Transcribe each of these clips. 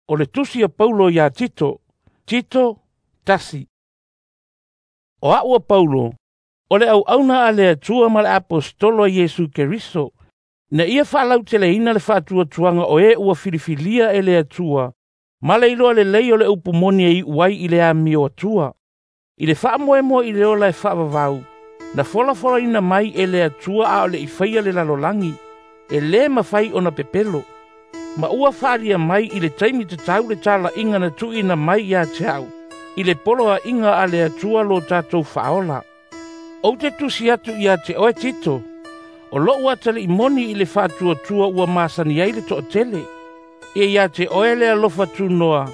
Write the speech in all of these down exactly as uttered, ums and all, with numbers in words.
O le tusi a Paulo iā Tito, Tito tasi. O a'u a Paulo, o le auauna a le Atua ma le aposetolo a Iesu Keriso, ina ia faalauteleina le faatuatuaga o e ua filifilia e le Atua, ma le iloa lelei o le upu moni e iu ai i le amio atua. I le faamoemoe i le ola e faavavau, na folafolaina mai e le Atua a o le i faia le lalolagi, e lē mafai ona pepelo. Ma ua faalia mai i le taimi tatau le tala'iga na tuuina mai ia te a'u, i le poloa'iga a le Atua lo tatou Faaola. Ou te tusi atu ia te oe Tito, o lo'u atali'i moni i le faatuatua ua masani ai le to'atele. Ia ia te oe le alofa tunoa,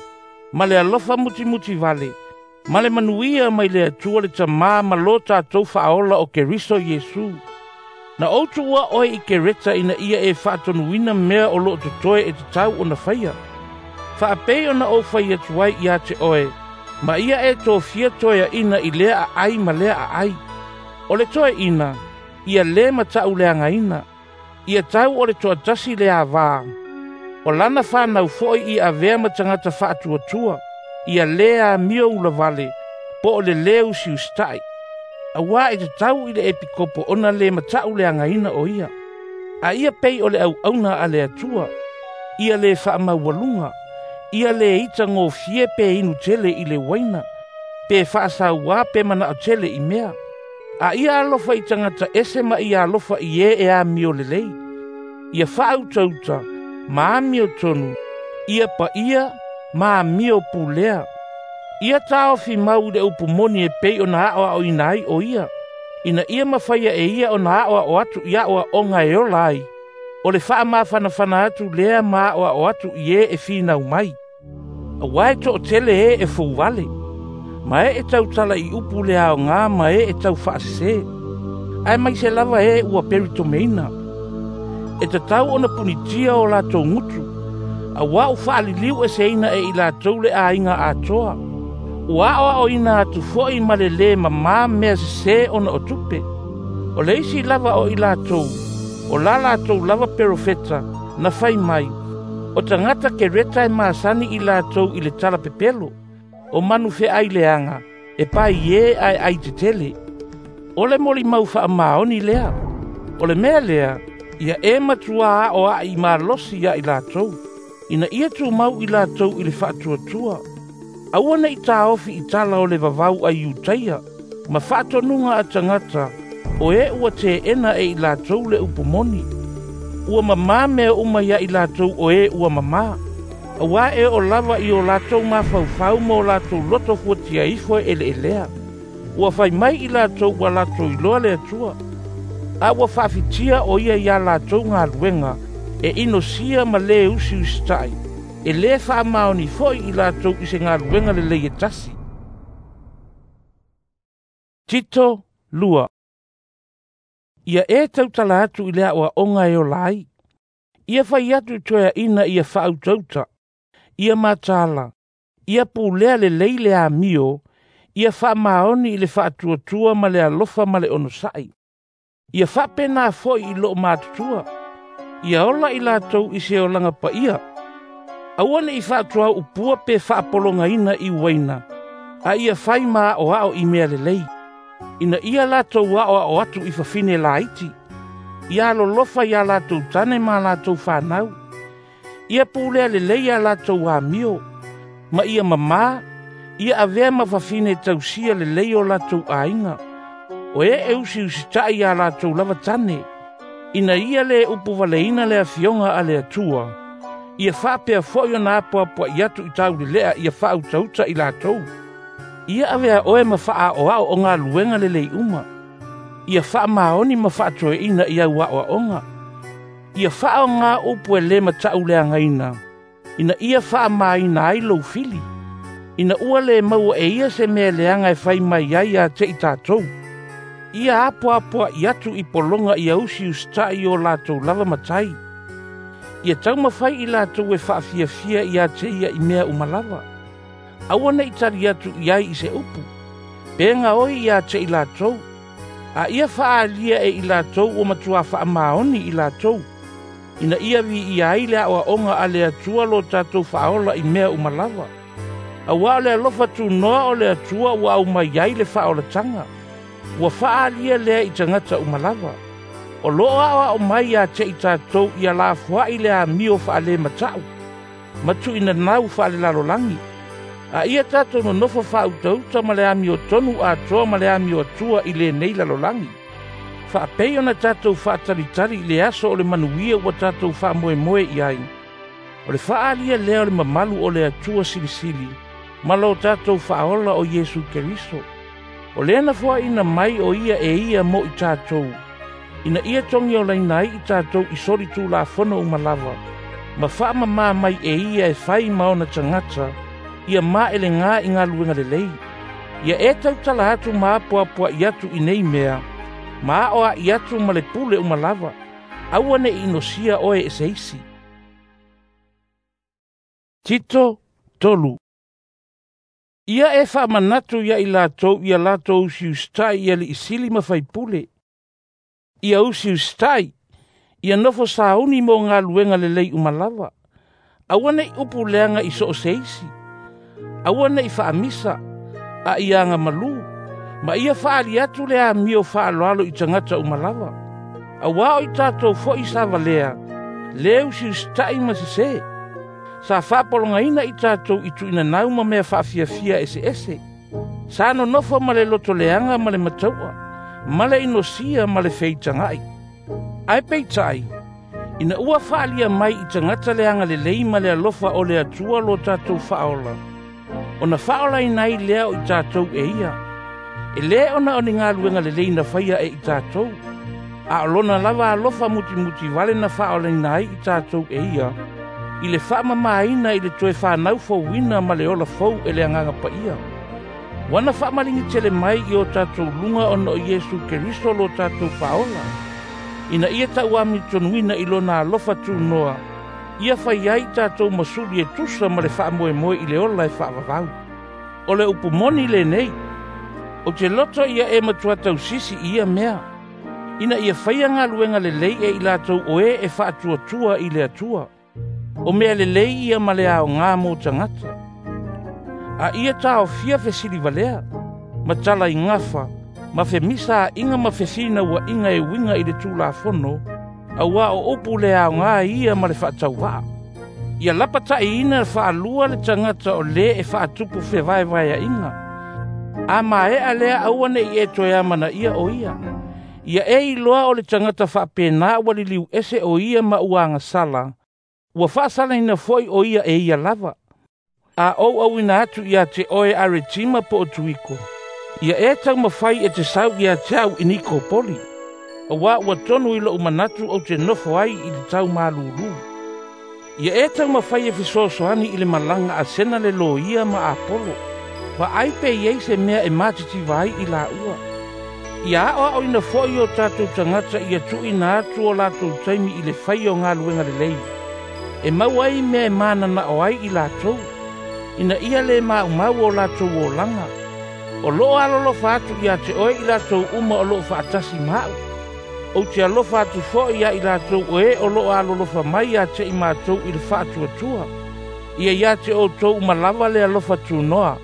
ma le alofa mutimuti vale, ma le manuia mai le Atua le Tamā ma lo tatou Faaola o Keriso Iesu. Na ou tuua oe i Kereta ina ia e faatonuina mea o loo totoe e tatau ona faia. Faapei ona ou fai atu ai ia te oe, ma ia e tofia toeaʻina i lea aai ma lea aai. O le toeaʻina, ia lē matauleagaina, ia tau o le toatasi le avā. O lana fanau foʻi ia avea ma tagata faatuatua, ia lē amio ulavale, po o le lē usiusitaʻi. Auā e tatau i le epikopo ona lē matauleagaina o ia. A ia pei o le auauna a le Atua, ia lē faamaualuga, ia lē itagofie pe inu tele i le uaina, pe faasauā pe manao tele i mea. A ia alofa i tagata ese ma ia alofa i e e amio lelei. Ia faautauta, ma amio tonu, ia paia, ma amio pulea. Ia taofi mau i le upu moni e pei ona aʻoaʻoina ai o ia, ina ia mafaia e ia ona aʻoaʻo atu i aʻoaʻoga e ola ai, o le faamafanafana atu lea ma aʻoaʻo atu i e e finau mai. Auā e toʻatele e e fouvale, ma e e tautala i upu le aogā ma e e taufaasesē, ae maise lava e ua peritomeina. E tatau ona punitia o latou gutu, auā ua faaliliu eseina e i latou le aiga atoa. Ua aʻoaʻoina atu foʻi ma le lē mamā mea sesē ona o tupe. O le isi lava o i latou, o la latou lava perofeta, na fai mai, o tagata Kereta e masani i latou i le tala pepelo, o manu feai leaga, e pai e ae ai tetele. O le molimau faamaoni lea. O le mea lea, ia e matuā aʻoaʻi malosi ia i latou, ina ia tumau i latou i le faatuatua. Aua ne i taofi i tala o le vavau a Iutaia, ma faatonuga a tagata, o e ua teena e i latou le upu moni. Ua mamā mea uma ia i latou o e ua mamā. Auā e oo lava i o latou mafaufau ma o latou loto fuatia ifo e eleelea. Ua fai mai i latou ua latou iloa le Atua, a ua faafitia o ia iā latou galuega, e inosia ma lē usiusitaʻi, e lē faamaoni foʻi i latou i se galuega lelei e tasi. Tito lua. Ia e tautala atu i le aʻoaʻoga e ola ai. Ia fai atu i toeaʻina ia faautauta, ia mataala, ia pulea lelei le amio, ia faamaoni i le faatuatua ma le alofa ma le onosaʻi. Ia faapenā foʻi i loo matutua, ia ola i latou i se olaga paia. Aua ne i faatuaupua pe faapologaina i uaina, a ia fai ma aʻoaʻo i mea lelei. Ina ia latou aʻoaʻo atu i fafine laiti, ia alolofa iā latou tane ma latou fanau. Ia pulea lelei iā latou amio, ma ia mamā, ia avea ma fafine tausia lelei o latou aiga. O e e usiusitaʻi iā latou lava tane, ina ia lē upu valeina le afioga a le Atua, ia faapea foʻi ona apoapoaʻi atu i tauleleʻa ia faautauta i latou. Ia avea oe ma faaʻaoaʻo o galuega lelei uma. Ia faamaoni ma faatoeaʻina i au aʻoaʻoga. Ia faaogā upu e lē matauleagaina, ina ia faamāina ai lou fili, ina ua lē maua e ia se mea leaga e fai mai ai ia te i tatou. Ia apoapoaʻi atu i pologa ia usiusitaʻi o latou lava matai. Ia taumafai i latou e faafiafia ia te ia i mea uma lava. Aua ne i tali atu i ai i se upu, pe gaoi ia te i latou, a ia faaalia e i latou ua matuā faamaoni i latou. Ina ia viia ai le aoaoga a le Atua lo tatou faaola i mea uma lava. Auā o le alofa tunoa o le Atua ua aumai ai le faaolataga. Ua faaalia lea i tagata uma lava. O loo aoao mai ia te i tatou ia lafoai le amio faalemata'u ma tuuinanau faalelalolagi. A ia tatou nonofo faautauta ma le amiotonu atoa ma le amio atua i lenei lalolagi. Faapei ona tatou faatalitali i le aso o le manuia ua tatou faamoemoe i ai. O le faaalia lea o le mamalu o le Atua Silisili ma lo tatou faaola o Iesu Keriso. O lea na foaina mai o ia e ia mo i tatou, ina ia togiolaina ai i tatou i soli tulafono uma lava, ma faamamā mai e ia e fai ma ona tagata, ia maelegā i galuega lelei. Ia e tautala atu ma apoapoai atu i nei mea, ma aoa'i atu ma le pule uma lava, aua ne'i inosia oe e se isi. Tito tolu. Ia e faamanatu ia i latou ia latou usiusita'i i aliisili ma faipule. Ia usiusita'i, ia nofo sauni mo galuega lelei uma lava. Aua ne'i upu leaga i so o se isi. Aua ne'i faamisa, a ia agamalū, ma ia faaali atu le amio faaaloalo i tagata uma lava. Auā o i tatou fo'i sa valea, le usiusita'i ma sesē. Sa faapologaina i tatou i tuuinanau ma mea faafiafia eseese. Sa nonofo ma le lotoleaga ma le matau'a, ma le inosia ma le feitaga'i. Ae peitai, ina ua faalia mai i tagata le agalelei ma le alofa o le Atua lo tatou faaola, ona faaolaina ai lea o i tatou e ia. E lē ona o ni galuega lelei na faia e i tatou, a o lona lava alofa mutimuti vale na faaolaina ai i tatou e ia, i le faamamāina i le toe fanau fouina ma le ola fou e le Agaga Paia. Ua na faamaligi tele mai i o tatou luga ona o Iesu Keriso lo tatou faaola, ina ia tauamitonuina i lona alofa tunoa, ia fai ai tatou masuli e tusa ma le faamoemoe i le ola e faavavau. O le upu moni lenei, ou te loto ia e matua tausisi i ia mea, ina ia faia galuega lelei e i latou o e e faatuatua i le Atua. O mea lelei ia ma le aogā mo tagata. A ia taofia fesili valea, ma tala i gafa, ma femisa a'iga ma fefinaua'iga e uiga i le Tulafono, auā o upu le aogā ia ma le faatauva'a. Ia lapata'iina faalua le tagata o lē e faatupu fevaevaea'iga. A mae'a lea aua ne'i e toe amanaia o ia. Ia e iloa o le tagata faapenā ua liliu ese o ia ma ua agasala, ua faasalaina fo'i o ia e ia lava. A ou auina atu ia te oe Aretima po o Tuiko, ia e taumafai e te sau ia te au i Nikopoli, auā ua tonu i lo'u manatu ou te nofo ai i le taumalūlū. Ia e taumafai e fesoasoani i le malaga a Sena le loia ma Apolo, vaai pe i ai se mea e matitiva ai i laua. Ia aoaoina fo'i o tatou tagata ia tuuina atu o latou taimi i le faia o galuega lelei, e maua ai mea e manana'o ai i latou, ina ia lē maumau o latou olaga. O loo alolofa atu ia te oe i latou uma o loo faatasi ma a'u. Ou te alofa atu fo'i ia i latou o e o loo alolofa mai ia te i matou i le faatuatua. Ia ia te outou uma lava le alofa tunoa.